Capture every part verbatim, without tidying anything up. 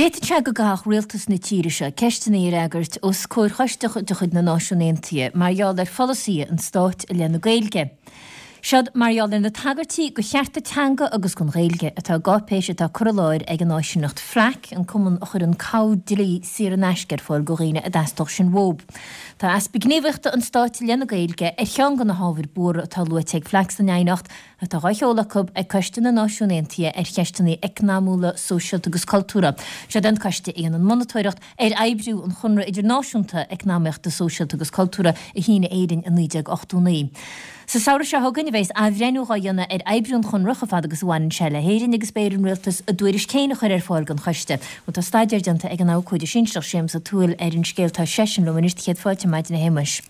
D'fhéadfadh sé go gcaithfeadh rialtas na tíre seo ceisteanna a fhreagairt os comhair choiste de chuid na Náisiún Aontaithe mar gheall ar pholasaithe an stáit i leith na Gaeilge. Seod mar gheall ar na tagairtí do chearta teanga agus don Ghaeilge atá i gcáipéis atá curtha i láthair ag an áisíneacht FLAC, an cumann a chuireann cabhair dlí saor in aisce ar fáil do dhaoine a dteastódh sin uathu. Tá easpa gníomhaíochta an stáit i leith na Gaeilge ar cheann de na hábhair buartha atá luaite ag FLAC san aighneacht atá á sheoladh acu ag Coiste na Náisiún Aontaithe ar cheisteanna eacnamaíocha, sóisialta agus cultúrtha. Seod an coiste a dhéanann monatóireacht ar oibriú an Chonradh Idirnáisiúnta Eacnamaíochta, Sóisialta agus Cultúrtha a shínigh Éirinn i naoi déag ochtó naoi. Sa samhradh seo chugainn a bheas athbhreithniú á dhéanamh ar oibriú an Chonradh chomh fada agus a bhaineann sé le hÉirinn agus beidh ar an rialtas a dtuairisc féin a chur ar fáil don choiste. Bhuel tá staidéar déanta ag an abhcóide sinsearach Séamus Ó Tuathail ar an scéal tá seisean liom anois céad fáilte ar maidin a Shéamuis.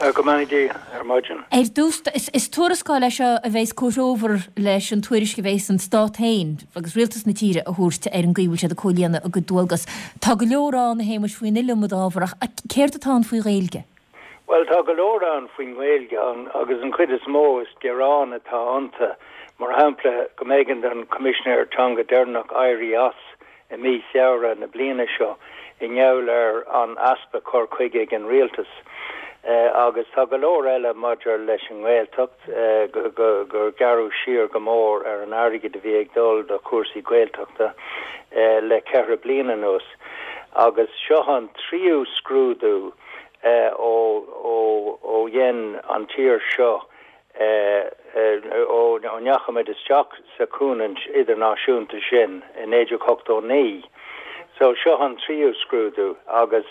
Go mbeannaí Dia ar maidin. Ar dtús, is tuarascáil é seo a bheas comhthreomhar leis an tuairisc a bheas an stát féin agus rialtas na tíre a thabhairt ar an gcaoi a bhfuil siad ag comhlíonadh a gcuid dualgas. Tá go leor ann a Shéamuis faoin iliomad ábhar ach céard atá ann faoi Ghaeilge? Well tá go leor ann faoin nGaeilge agus an chuid is mó is gearán atá iontu mar shampla go mb'éigean don Coimisinéir Teanga deireanach éirí as i mí Feabhra na bliana seo i ngeall ar an easpa cur chuige ag an rialtas. Uh, agus tá go leor eile maidir leis an nGaeltacht uh, gur gearradh siar go mór ar an airgead a bhí ag dul do chúrsaí Gaeltachta uh, le ceithre bliana anuas. Agus seo an tríú scrúdú uh, ó, ó, ó dhein an tír seo ó ndeachaigh muid isteach sa chúnant idirnáisiúnta sin i naoi déag ochtó naoi. So seo an tríú scrúdú agus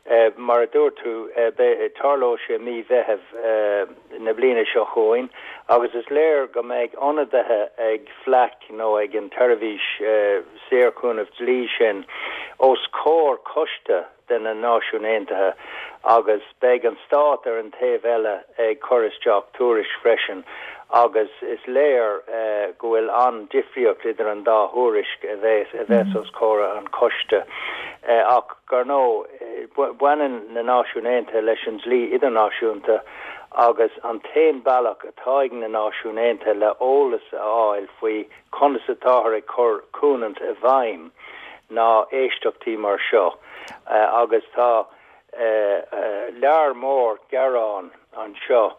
Uh, mar a dúirt tú uh, tarlóidh sé mí Mheithimh uh, na bliana seo chugainn agus is léir go mbeidh ionadaithe ag FLAC nó ag an tseirbhís uh, saorchúnamh dlí sin os comhair coiste de na Náisiún Aontaithe agus beidh an stát ar an taobh eile ag cur isteach tuairisc freisin agus is léir uh, go bhfuil an-difríocht idir an dá thuairisc a bheas a bheas mm -hmm. os comhair an choiste uh, ach gar nó baineann na Náisiún Aontaithe leis an dlí idirnáisiúnta agus an t-aon bealach atá ag na Náisiún Aontaithe le eolas a fháil faoi conas atáthar ag cur cúnant i bhfeidhm ná éisteachtaí mar seo uh, agus tá uh, uh, lear mór gearán anseo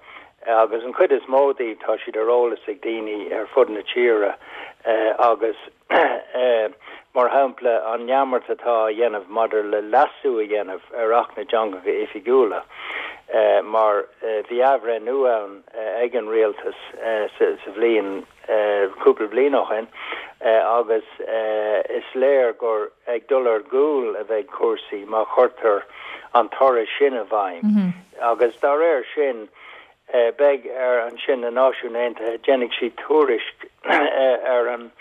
agus an chuid is mó díobh tá siad ar eolas ag daoine ar fud na tíre uh, agus uh, mar shampla an neamart atá á dhéanamh maidir le leasú a dhéanamh ar Acht na dTeangacha Oifigiúla. Uh, mar uh, bhí athbhreithniú ann uh, ag an rialtas uh, sa, sa bhliain cúpla uh, bliain ó shin uh, agus uh, is léir gur ag dul ar gcúl a bheidh cúrsaí má chuirtear an toradh sin i bhfeidhm. Mm -hmm. agus dá réir sin uh, beidh ar ansin na Náisiún Aontaithe déanfaidh siad tuairisc ar an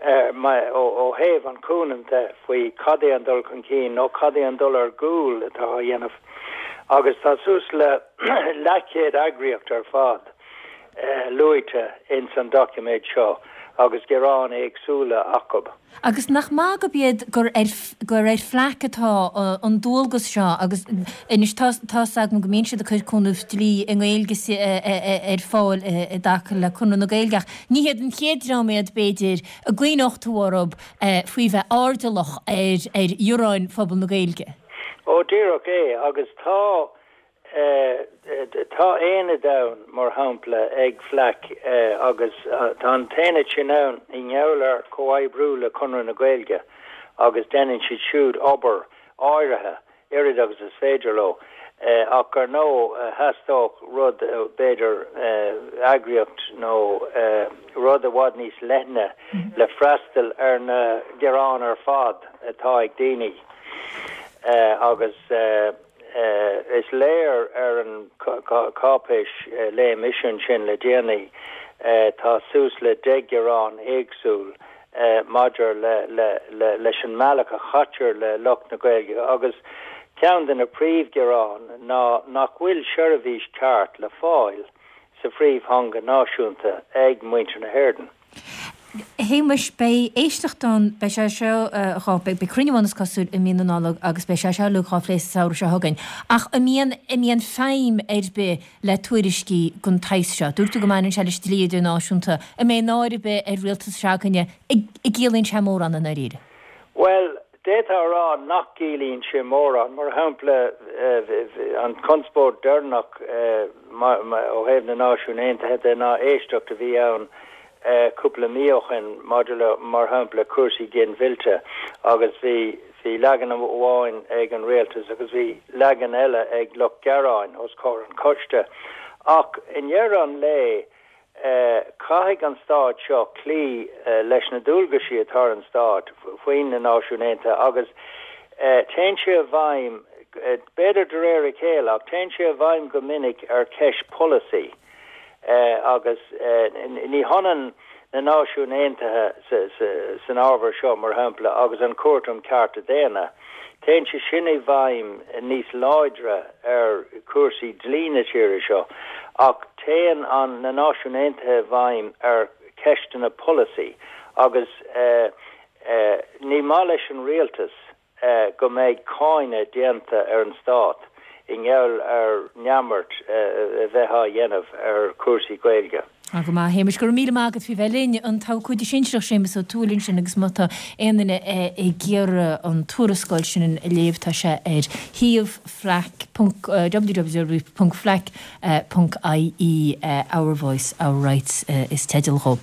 ó thaobh an chúnant faoi cad é an dul chun cinn nó cad é an dul ar gcúl atá á dhéanamh. Agus tá suas le leathchéad eagraíocht ar fad uh, luaite in san doiciméad seo agus gearáin éagsúla acu. Agus nach maith gurb iad gur ar gur ar FLAC atá an dualgas seo agus anois tá agam go mbíonn siad ag cur cúnamh dlí i nGaeilge ar fáil i dtaca le Conradh na Gaeilge. Ní hiad an chéad dream iad b'fhéidir a gcuimhneodh tú orthu faoi bheith airdeallach ar ar ghearáin phobal na Gaeilge. Ó díreach é agus tá tá aonad ann mar shampla ag FLAC agus tá an t-aonad sin ann i ngeall ar comhoibriú le Conradh na Gaeilge agus déanann siad siúd obair áirithe oiread agus is féidir leo ach ar ndóigh theastódh rud b'fhéidir eagraíocht nó rud i bhfad níos leithne le freastal ar na gearáin ar fad atá ag daoine agus is léir ar an cáipéis léigh mise ansin le déanaí tá suas le deich ngearán éagsúil maidir le le le leis an mbealach a chaitear le lucht na Gaeilge agus ceann de na príomhghearáin ná nach bhfuil seirbhís ceart le fáil sa phríomhtheanga náisiúnta ag muintir na hÉireann. Shéamuis beidh éisteacht ann beidh sé seo dhá beidh cruinniú ann is cosúil i mí na Nollag agus beidh sé seo uilig á phlé sa samhradh seo chugainn. Ach an mbíonn an mbíonn feidhm ar bith le tuairiscí den tsaghas seo. Dúirt tú go mbaineann sé leis dlí idirnáisiúnta. An mbeidh náire ar bith ar rialtas s'againne an gciallaíonn sé mórán i ndáiríre. Well D'fhéadfá a rá nach gciallaíonn sé mórán, mar shampla an conspóid deireanach ó thaobh na Náisiún Aontaithe de ná éisteacht a bhí ann cúpla mí ó shin maidir le mar shampla cúrsaí ginmhillte agus bhí bhí leagan amháin ag an rialtas agus bhí leagan eile ag lucht gearáin os comhair an choiste. Ach i ndeireadh an lae caithfidh an stát seo cloí leis na dualgaisí atá ar an stát faoi na Náisiúin Aontaithe agus téann sé i bhfeidhm, b'fhéidir de réir a chéile, ach téann sé i bhfeidhm go minic ar cheist polasaí agus ní hionann na Náisiúin Aontaithe san ábhar seo, mar shampla, agus an Chúirt um Chearta Daonna. Téann sé sin i bhfeidhm níos láidre ar chúrsaí dlí na tíre seo, ach téann an na Náisiúin Aontaithe i bhfeidhm ar cheisteanna polasaí agus ní maith leis an rialtas go mbeidh cáineadh déanta ar an stát i ngeall ar neamart a bheith á dhéanamh ar chúrsaí Gaeilge. Tá go maith, a Shéamais, go raibh míle maith agat faoi bheith linn. An tAbhcóide Sinsearach Séamus Ó Tuathail ansin agus má tá aon duine ag iarraidh an tuarascáil sin a léamh tá sé ar shuíomh FLAC www ponc FLAC ponc ie Our Voice, Our Rights is teideal dhó.